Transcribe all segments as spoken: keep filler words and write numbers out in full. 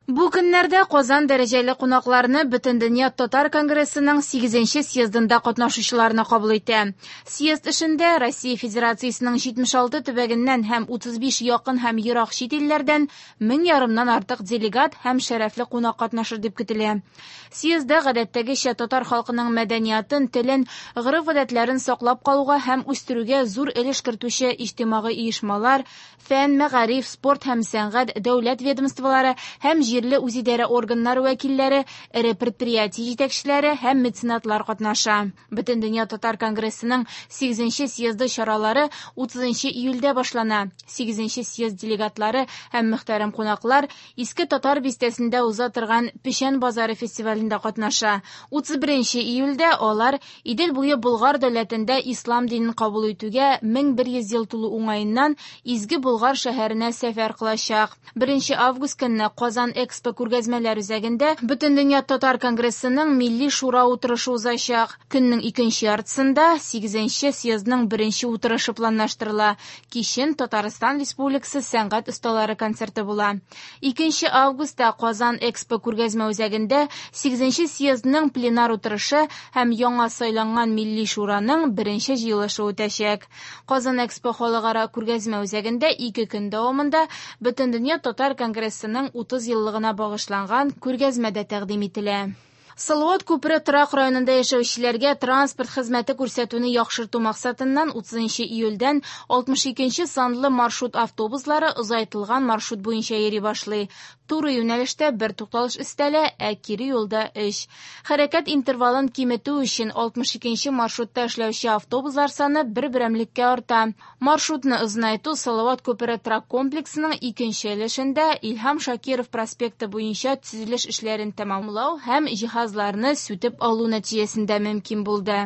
Бу көннәрдә Казан дәрәҗәле кунакларны Бөтендөнья татар конгрессының сигезенче съездында катнашучыларны кабул итә. Съезд эшендә Россия Федерациясенең җитмеш алты төбәгеннән һәм утыз биш якын һәм ерак чит илләрдән мең ярымнан артык делегат һәм шәрәфле кунак катнашыр дип көтелә. Съездда гадәттәгечә татар халкының мәдәниятын, телен, гореф-гадәтләрен саклап калуга һәм үстерүгә зур өлеш кертүче иҗтимагый оешмалар, фән, мәгариф, спорт һәм сәнгать, дәүләт ведомстволары һәм җирле үзидарә органнары вәкилләре, эре предприятие җитәкчеләре һәм меценатлар катнаша. Бөтендөнья татар конгрессының сигезенче съезды чаралары утызынчы июльдә башлана. Сигезенче съезд делегатлары һәм мөхтәрәм кунаклар Иске Татар бистәсендә уза торган Печән базары фестивалендә катнаша. Утыз беренче июльдә алар Идел буе Болгар дәүләтендә ислам динен кабул итүгә мең бер йөз ел тулу уңаеннан Изге Болгар шәһәренә сәфәр кылачак. Беренче август көнне Казан Экспо күргәзмәләр үзәгендә Бөтендөнья татар конгрессының Милли шура утырышы узачак. Көннең икенче яртысында сигезенче съездның беренче утырышы планлаштырыла. Кичен Татарстан Республикасы сәнгать осталары концерты була. Икенче августта Казан Экспо күргәзмә үзәгендә сигезенче съездның пленар утырышы һәм яңа сайланган Милли шураның беренче җыелышы үтәчәк. Казан Экспо халыкара күргәзмә үзәгендә ике көн дәвамында Бөтендөнья татар конгрессының утыз еллыгына багышланган күргәзмә дә тәкъдим ителә. Салават күпере торак районында яшәүчеләргә транспорт хезмәте күрсәтүне яхшырту максатыннан утызынчы июльдән алтмыш икенче санлы маршрут автобуслары озайтылган маршрут буенча йөри башлый. Туры юнәлештә бер тукталыш өстәлә, ә кире юлда өч. Хәрәкәт интервалын киметү өчен алтмыш икенче маршрутта эшләүче автобуслар саны бер берәмлеккә арта. Маршрутны озынайту Салават күпере торак комплексының икенче өлешендә Илһам Шакиров проспекты буенча төзелеш эшләрен тәмамлау һәм җиһазларны сүтеп алу нәтиҗәсендә мөмкин булды.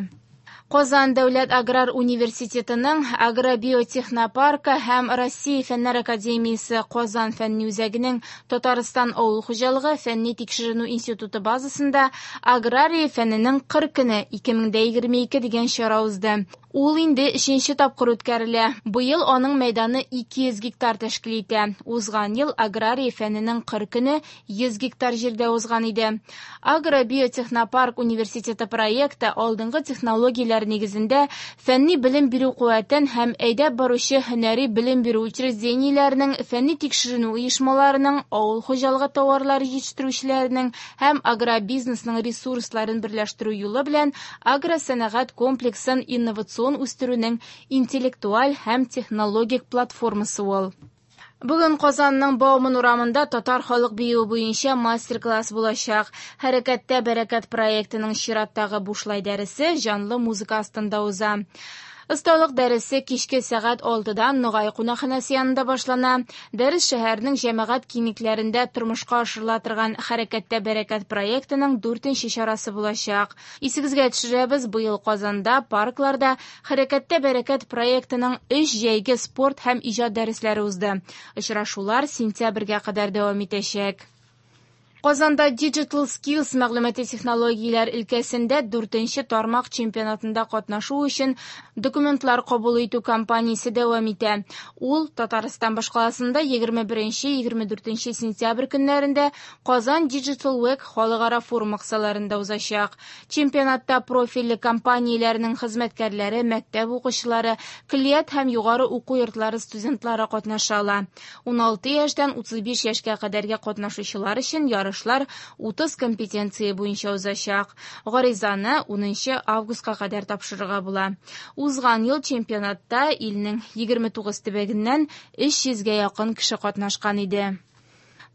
Казан дәүләт аграр университетының агробиотехнопаркы һәм Россия Фәннәр академиясе Казан фәнни үзәгенең Татарстан авыл хуҗалыгы фәнни тикшеренү институты базасында агрария фәненең кыр көне ике мең дә егерме ике дигән чара узды. Ул инде өченче тапкыр үткәрелә. Быел аның мәйданы ике йөз гектар тәшкил итә. Узган ел агрария фәненең кыр көне йөз гектар җирдә узган иде. Агробиотехнопарк университеты проекты алдынгы технологияләр нигезендә фәнни белем бирү куәтен һәм әйдәп баручы һөнәри белем бирү учреждениеләренең, фәнни тикшеренү оешмаларының, авыл хуҗалыгы товарлары җитештерүчеләренең һәм агробизнесның ресурсларын берләштерү юлы белән агросәнәгать комплексын инновацион үстерүнең интеллектуаль һәм технологик платформасы ул. Бүген Казанның Бауман урамында татар халык биюе буенча мастер-класс булачак. Хәрәкәттә бәрәкәт проектының чираттагы бушлай дәресе җанлы музыка астында уза. Осталык дәресе кичке сәгать алтыдан Ногай кунакханәсе янында башлана. Дәрес шәһәрнең җәмәгать киңлекләрендә тормышка ашырыла торган Хәрәкәттә бәрәкәт проектының дүртенче чарасы булачак. Исегезгә төшерәбез, быел Казанда паркларда Хәрәкәттә бәрәкәт проектының өч җәйге спорт һәм иҗат дәресләре узды. Очрашулар сентябрьгә кадәр дәвам итәчәк. Казанда Digital Skills мәгълүмати технологияләр өлкәсендә дүртенче тармак чемпионатында катнашу өчен документлар кабул итү кампаниясе дәвам итә. Ул Татарстан башкаласында егерме беренче, егерме дүртенче сентябрь көннәрендә Казан Digital Week халыкара форум кысаларында узачак. Чемпионатта профильле компанияләрнең хезмәткәрләре, мәктәп укучылары, көллият һәм югары уку йортлары студентлары катнаша ала. Уналты яшьтән утыз биш яшькә кадәрге катнашучылар өчен ярыш Ярышлар утыз компетенция буенча узачак. Гаризаны унынчы августка кадәр тапшырырга була. Узган ел чемпионатта илнең егерме тугыз төбәгеннән өч йөзгә якын кеше катнашкан иде.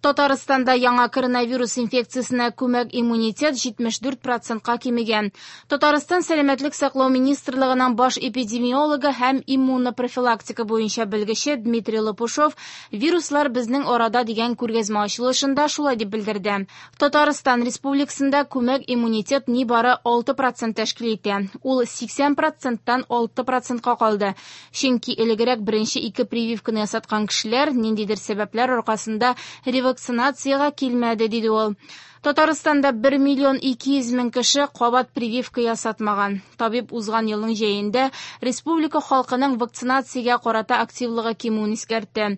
Татарстанда яңа коронавирус инфекциясенә күмәк иммунитет җитмеш дүрт процентка кимегән. Татарстан Сәламәтлек саклау министрлыгының баш эпидемиологы һәм иммунопрофилактика буенча белгече Дмитрий Лопушов вируслар безнең арада дигән күргәзмә ачылышында шулай дип белдерде. Татарстан Республикасында күмәк иммунитет нибары алты процент тәшкил итә. Ул сиксән проценттан алты процентка калды. Чөнки элегрәк беренче ике прививканы ясаткан кешеләр ниндидер сәбәпләр аркасында ревакцинациягә килмәде, диде ул. Татарстанда бер миллион ике йөз мең кеше кабат прививка ясатмаган. Табиб узган елның җәендә республика халкының вакцинациягә карата активлыгы кимүен искәртте.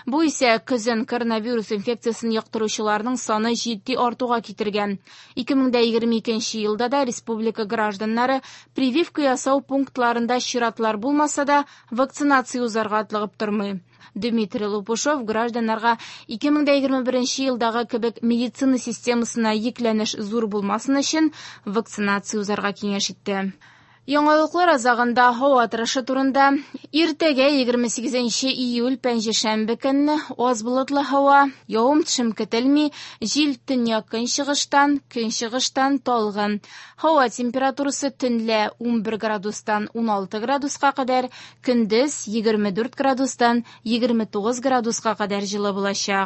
Бу исә көзен коронавирус инфекциясен йоктыручыларның саны җитди артуга китергән. ике мең егерме икенче елда да республика гражданнары прививка ясау пунктларында чиратлар булмаса да вакцинация узарга атлыгып тормый. Дмитрий Лопушов гражданнарга ике мең егерме беренче елдагы кебек медицина системасына йөкләнеш зур булмасын өчен вакцинация узарга киңәш итте. Яңалыклар азагында һава торышы турында. Иртәгә егерме сигезенче июль пәнҗешәмбе көнне аз болытлы һава, явым-төшем көтелми, җил төньяк-көнчыгыштан, көнчыгыштан талгын. Һава температурасы төнлә унбер градустан уналты градуска кадәр, көндез егерме дүрт градустан егерме тугыз градуска кадәр җылы булачак.